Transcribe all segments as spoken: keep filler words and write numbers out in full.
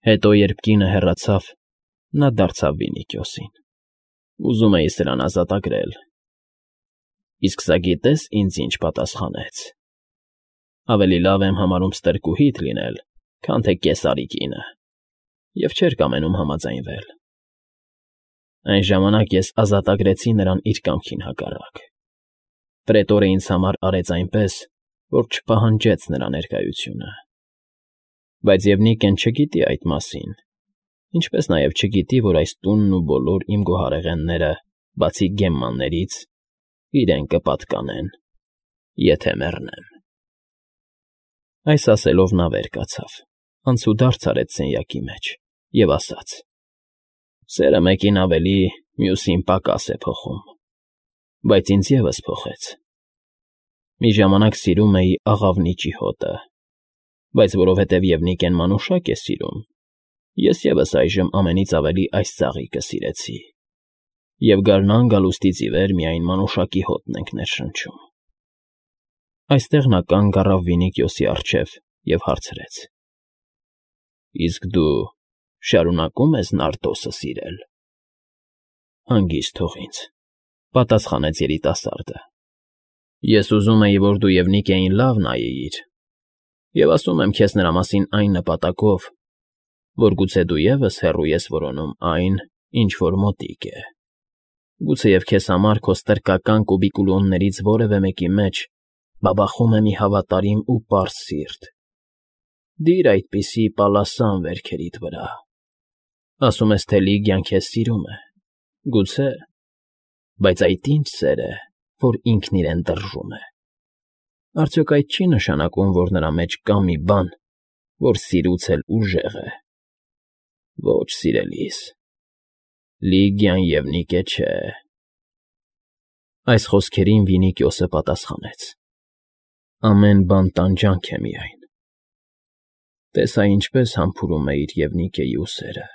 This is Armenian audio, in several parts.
Հետո, երբ կինը հեռացավ, նա դարձավ Վինիքիոսին. ֊ Ուզում էի սրան ազատագրել, իսկ սա գիտե՞ս ինձ ինչ պատասխանեց. ավելի լավ եմ համարում ստրկուհիդ լինել, քան թե Կեսարի կինը, և չէր կամենում համաձայնվել. այն ժամանակ ես ազատագրեցի նրան իր կամքին հակառակ. պրետորը ինձ համար արեց այնպես, որ չպահանջեց նրա ներկայությունը. բայց Եվնիկեն չգիտի այդ մասին, ինչպես նաև չգիտի, որ այս տունն ու բոլոր իմ գոհարեղենները, բացի գեմմաններից, իրեն կպատկանեն, եթե մեռնեմ։ Այս ասելով նա վեր կացավ, անցուդարձ արեց սենյակի մեջ և ասաց. «Սերը մեկին ավելի, մյուսին պակաս է փոխում, բայց ինձ ևս փոխեց. մի ժամանակ սիրում էի աղավնիճի հոտը, բայց որովհետև Եվնիկեն մանուշակ է սիրում, ես ևս այժմ ամենից ավելի այս ծաղիկը սիրեցի, և գարնան գալուստից ի վեր միայն մանուշակի հոտն ենք ներշնչում»։ Այստեղ նա կանգ առավ Վինիքիոսի առջև և հարցրեց. «Իսկ դու շարունակո՞ւմ ես Նարդոսը սիրել»։ «Հանգիստ թող ինձ,֊ պատասխանեց երիտասարդը,֊ ես ուզում էի, որ դու Եվնիկեին լավ նայեիր, և ասում եմ քեզ նրա մասին այն նպատակով, որ գուցե դու ևս հեռու ես որոնում այն, ինչ որ մոտիկ է, գուցեև քեզ համար քո ստրկական կուբիկուլոններից որևէ մեկի մեջ բաբախում է մի հավատարիմ ու պարզ սիրտ. դիր այդպիսի պալասան վերքերիդ վրա, ասում ես, թե Լիգիան քեզ սիրում է, գուցե, բայց այդ ի՞նչ սեր է, որ ինքն իրեն դրժում է, արդյոք այդ չի՞ նշանակում, որ նրա մեջ կա մի բան, որ սիրուց էլ ուժեղ է։ Ոչ, սիրելիս, Լիգիան Եվնիկե չէ»։ Այս խոսքերին Վինիքիոսը պատասխանեց. «Ամեն բան տանջանք է միայն։ Տես հա ինչպես համբուրում է իր Եվնիկեի ուսերը,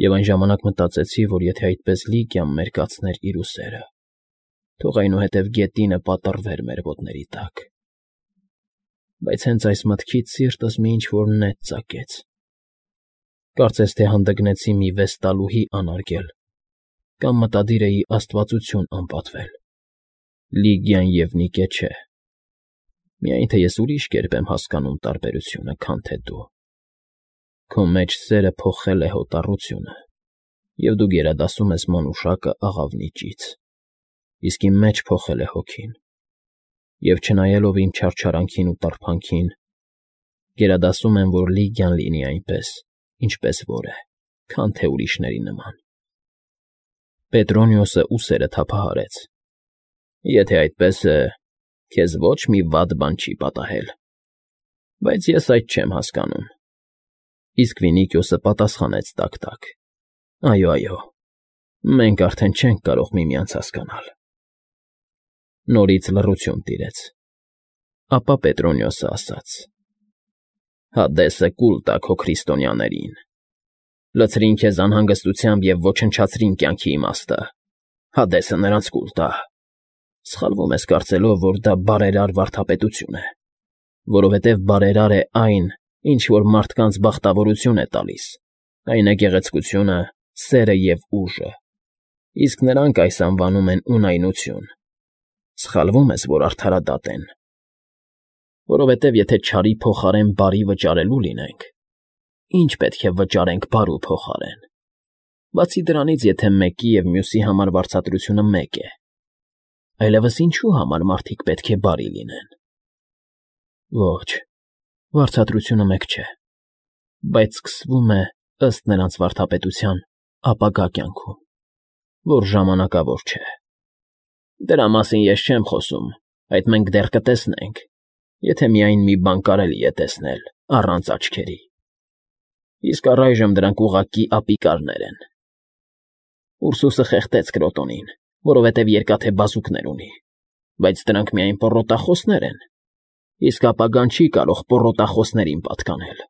և այն ժամանակ մտածեցի, որ եթե այդպես Լիգիան մերկացներ իր ուսերը, թող այնուհետև գետինը պատռվեր մեր ոտների տակ։ Բայց հենց այս մտքից սիրտս մի ինչ֊որ նետ ծակեց, կարծես թե հանդգնեցի մի վեստալուհի անարգել կամ մտադիր էի աստվածություն անպատվել։ Լիգիան Եվնիկե չէ, միայն թե ես ուրիշ կերպ եմ հասկանում տարբերությունը, քան թե դու։ Քո մեջ սերը փոխել է հոտառությունը, և դու գերադասում ես մանուշակը աղավնիճից, իսկ իմ մեջ փոխել է հոգին, և չնայելով իմ չարչարանքին ու տառփանքին, գերադասում եմ, որ Լիգիան լինի այնպես, ինչպես որ է, քան թե ուրիշների նման»։ Պետրոնիոսը ուսերը թափահարեց. «Եթե այդպես է, քեզ ոչ մի վատ բան չի պատահել, բայց ես այդ չեմ հասկանում»։ Իսկ Վինիքիոսը պատասխանեց տաք֊տաք. «Այո, այո, մենք արդեն չենք կարող միմյանց հասկանալ»։ Նորից լռություն տիրեց, ապա Պետրոնիոսը ասաց. «Հադեսը կուլ տա քո քրիստոնյաներին, լցրին քեզ անհանգստությամբ և ոչնչացրին կյանքի իմաստը, Հադեսը նրանց կուլ տա։ Սխալվում ես կարծելով, որ դա բարերար վարդապետություն է, որովհետև բարերար է այն, ինչ որ մարդկանց բախտավորություն է տալիս, այն է գեղեցկությունը, սերը և ուժը, իսկ նրանք այս անվանում են ունայնություն։ Սխալվում ես, որ արդարադատ են, որովհետև եթե չարի փոխարեն բարի վճարելու լինենք, ի՞նչ պետք է վճարենք բարու փոխարեն։ Բացի դրանից, եթե մեկի և մյուսի համար վարձատրությունը մեկ է, այլևս ինչու համար մարդիկ պետք է բարի լինեն։ Ոչ, վարձատրությունը մեկ չէ, բայց սկսվում է, ըստ նրանց վարդապետության, ապագա կյանքում, որ ժամանակավոր չէ։ Դրա մասին ես չեմ խոսում, այդ մենք դեռ կտեսնենք, եթե միայն մի բան կարելի է տեսնել առանց աչքերի, իսկ առայժմ դրանք ուղղակի ապիկարներ են։ Ուրսուսը խեղդեց Կրոտոնին, որովհետև երկաթե բազուկներ ունի, բայց դրանք միայն պոռոտախոսներ են, իսկ ապագան չի կարող պոռոտախոսներին պատկանել։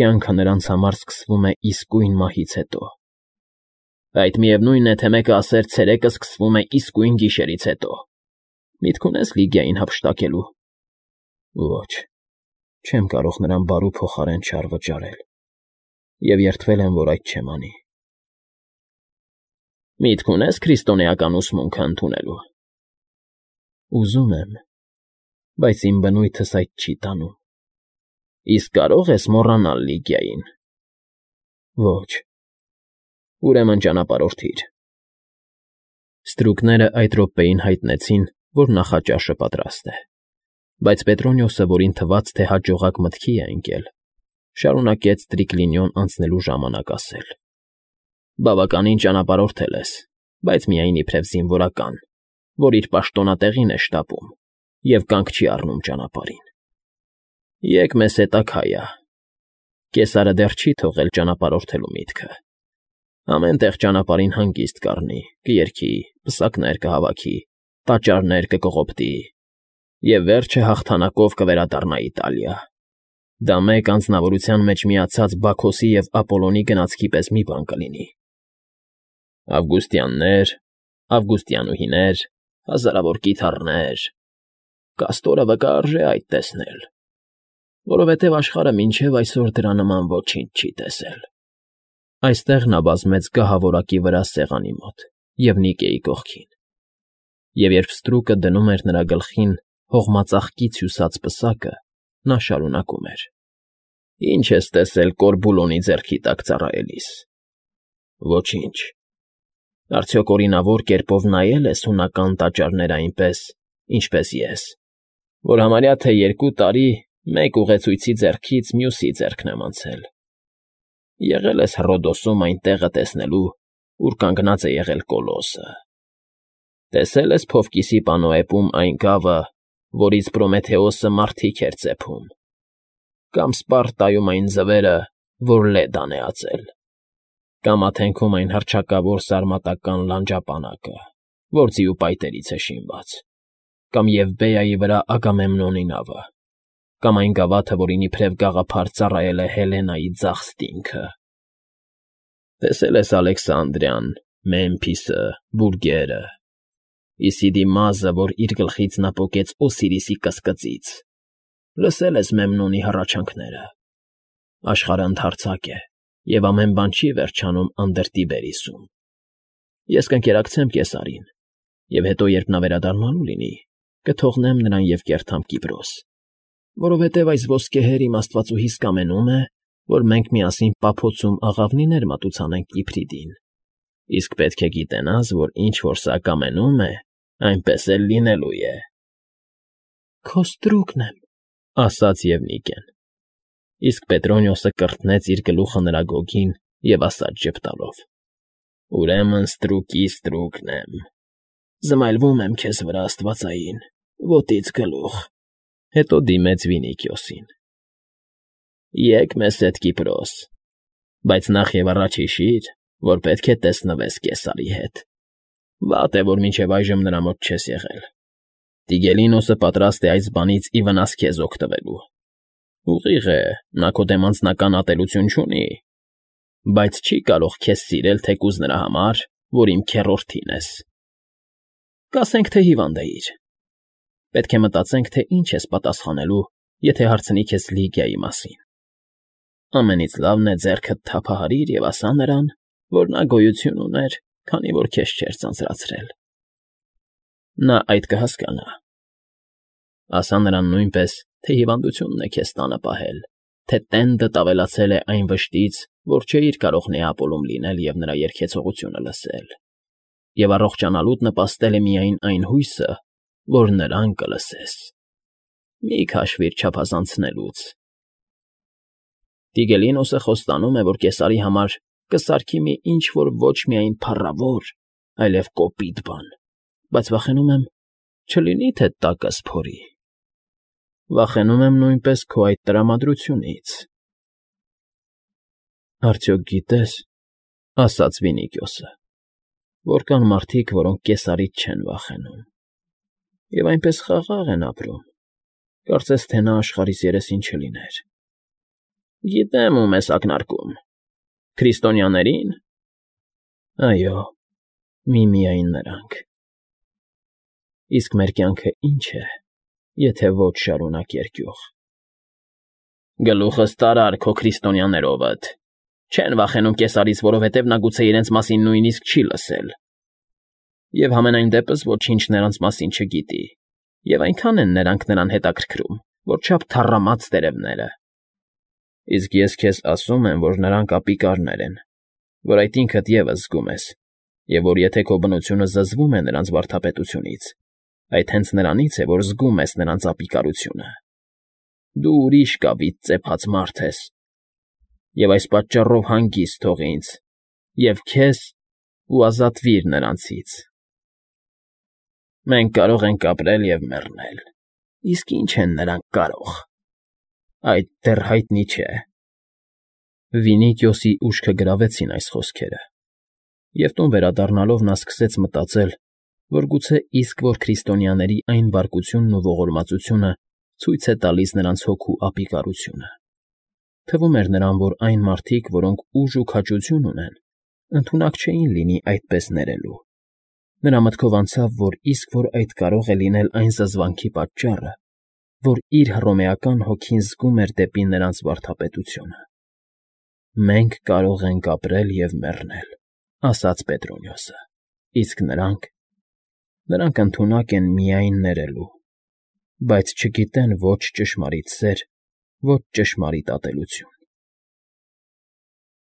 Կյանքը նրանց համար սկսվում է իսկույն մահից հետո։ Այդ միևնույն է, թե մեկը ասեր ցերեկը սկսվում է իսկույն գիշերից հետո։ Միտք ունե՞ս Լիգիային հափշտակելու։ Ոչ, Չեմ կարող նրան բարու փոխարեն չար վճարել, և երդվել եմ, որ այդ չեմ անի։ Միտք ունե՞ս քրիստոնեական ուսմունքը ընդունելու։ Ուզում եմ, բայց իմ բնույթս այդ չի տանում։ Իսկ կարո՞ղ ես մոռանալ Լիգիային։ Ոչ։ Ուրեմն ճանապարհորդիր։ Ստրուկները այդ րոպեին հայտնեցին, որ նախաճաշը պատրաստ է, բայց Պետրոնիոսը, որին թվաց, թե հաջողակ մտքի է ընկել, շարունակեց Տրիկլինիոն անցնելու ժամանակ ասել. Բավականին ճանապարհորդել ես, բայց միայն իբրև զինվորական, որ իր պաշտոնատեղին է շտապում և կանգ չի առնում ճանապարհին։ Եկ մեզ հետ Աքայա։ Կեսարը դեռ չի թողել ճանապարհորդելու միտքը։ Ամեն տեղ ճանապարհին հանգիստ կառնի, կերքի, պսակներ կհավաքի, տաճարներ կկողոպտի և վերջը հաղթանակով կվերադառնա Իտալիա։ Դա մեկ անձնավորության մեջ միացած Բաքոսի և Ապոլոնի գնացքի պես մի բան կլինի։ Ավգուստյաններ, ավգուստյանուհիներ, հազարավոր կիթառներ… Կաստորը վկա արժե այդ տեսնել, որովհետև աշխարհը մինչև այսօր դրա նման ոչինչ չի տեսել։ Այստեղ նա վազեց գահավորակի վրա սեղանի մոտ և Նիկեի կողքին, և երբ ստրուկը դնում էր նրա գլխին հողմածաղկից հյուսած պսակը, նա շարունակում էր. Ի՞նչ ես տեսել Կորբուլոնի ձեռքի տակ ծառայելիս։ Ոչինչ։ Արդյոք օրինավոր կերպով նայել ես հունական տաճարները այնպես, ինչպես ես, որ համարյա թե երկու տարի մեկ ուղեցույցի ձեռքից մյուսի ձեռքն եմ անցել։ Եղե՞լ ես Հռոդոսում այն տեղը տեսնելու, ուր կանգնած է եղել Կոլոսը։ Տեսե՞լ ես Փովկիսի պանոեպում այն գավը, որից Պրոմեթեոսը մարդիկ էր ծեփում, կամ Սպարտայում այն ձվերը, որ Լեդան է ածել, կամ Աթենքում այն հռչակավոր սարմատական լանջապանակը, որ ձիու պայտերից է շինված, կամ Եվբեայի վրա Ագամեմնոնի նավը, կամ այն գավաթը, որին իբրև գաղափար ծառայել է Հելենայի ձախ ստինքը։ Տեսե՞լ ես Ալեքսանդրիան, Մեմփիսը, Բուրգերը, Իսիդիմազը, որ իր գլխից նա պոկեց Օսիրիսի կսկծից, լսե՞լ ես Մեմնոնի հառաչանքները։ Աշխարհը ընդարձակ է, և ամեն բան չի վերջանում Անդրտիբերիսում։ Ես կընկերակցեմ Կեսարին, և հետո, երբ նա վերադառնալու լինի, կթողնեմ նրան և կերթամ Կիպրոս, որովհետև այս ոսկեհեր իմ աստվածուհիս կամենում է, որ մենք միասին պափոցում աղավնիներ մատուցանենք Իփրիդին, իսկ պետք է գիտենաս, որ ինչ որ սա կամենում է, այնպես էլ լինելու է։ Քո ստրուկն եմ, ասաց Եվնիկեն, իսկ Պետրոնիոսը կրտնեց իր գլուխը նրա գոգին և ասաց ժպտալով. Ուրեմն ստրուկի ստրուկն եմ, զմայլվում եմ քեզ վրա աստվածային, ոտից գլուխ։ Հետո դիմեց Վինիքիոսին. Եկ մեզ հետ Կիպրոս, բայց նախ և առաջ հիշիր, որ պետք է տեսնվես Կեսարի հետ։ Վատ է, որ մինչև այժմ նրա մոտ չես եղել։ Տիգելինոսը պատրաստ է այս բանից ի վնաս քեզ օգտվելու։ Ուղիղ է, նա քո դեմ անձնական ատելություն չունի, բայց չի կարող քեզ սիրել թեկուզ նրա համար, որ իմ քեռորդին ես։ Կասենք, թե հիվանդ էիր։ Պետք է մտածենք, թե ինչ ես պատասխանելու, եթե հարցնի քեզ Լիգիայի մասին։ Ամենից լավն է ձեռքդ թափահարիր և ասա նրան, որ նա գոյություն ուներ, քանի որ քեզ չէր ձանձրացրել։ Նա այդ կհասկանա։ Ասա նրան նույնպես, թե հիվանդությունն է քեզ տանը պահել, թե տենդդ ավելացել է այն վշտից, որ չէիր կարող Նեապոլում լինել և նրա երգեցողությունը լսել, և առողջանալուդ նպաստել է միայն այն հույսը, որ նրան կլսես։ Մի քաշվիր չափազանցնելուց։ Տիգելինոսը խոստանում է, որ Կեսարի համար կսարքի մի ինչ֊որ ոչ միայն փառավոր, այլև կոպիտ բան, բայց վախենում եմ, չլինի թե տակս փորի։ Վախենում եմ նույնպես քո այդ տրամադրությունից։ Արդյոք գիտես, ասաց Վինիքիոսը, որ կան մարդիկ, որոնք Կեսարից չեն վախենում, և այնպես խաղաղ են ապրում, կարծես թե նա աշխարհիս երեսին չլիներ։ Գիտեմ, ում ես ակնարկում. քրիստոնյաների՞ն։ Այո, միմիայն նրանք։ Իսկ մեր կյանքը ի՞նչ է, եթե ոչ շարունակ երկյուղ։ Գլուխս տարար քո քրիստոնյաներովդ։ Չեն վախենում կեսարից, որովհետև նա գուցե իրենց մասին նույնիսկ չի լսել։ Եվ համենայն դեպս ոչինչ նրանց մասին չգիտի, և այնքան են նրանք նրան հետաքրքրում, որ չափ թառամած տերևները։ Իսկ ես քեզ ասում եմ, որ նրանք ապիկարներ են, որ այդ ինքդ ևս զգում ես, և որ եթե քո բնությունը զզվում է նրանց վարդապետությունից, այդ հենց նրանից է, որ զգում ես նրանց ապիկարությունը։ Դու ուրիշ կավից ծեփած մարդ ես, և այս պատճառով հանգիստ թող ինձ և քեզ ու ազատվիր նրանցից։ Մենք կարող ենք ապրել և մեռնել, իսկ ի՞նչ են նրանք կարող… Այդ դեռ հայտնի չէ… Վինիքիոսի ուշքը գրավեցին այս խոսքերը, և տուն վերադառնալով նա սկսեց մտածել, որ գուցե իսկվոր քրիստոնյաների այն բարկությունն ու ողորմածությունը ցույց է տալիս նրանց հոգու ապիկարությունը. թվում էր նրան, որ այն մարդիկ, որոնք ուժ ու քաջություն ունեն, ընդունակ չէին լինի այդպես ներելու. նրա մտքով անցավ, որ իսկ որ այդ կարող է լինել այն զզվանքի պատճառը, որ իր հռոմեական հոգին զգում էր դեպի նրանց վարդապետությունը։ «Մենք կարող ենք ապրել և մեռնել,֊ ասաց Պետրոնիոսը,֊ իսկ նրանք… նրանք ընդունակ են միայն ներելու, բայց չգիտեն ոչ ճշմարիտ սեր, ոչ ճշմարիտ ատելություն»։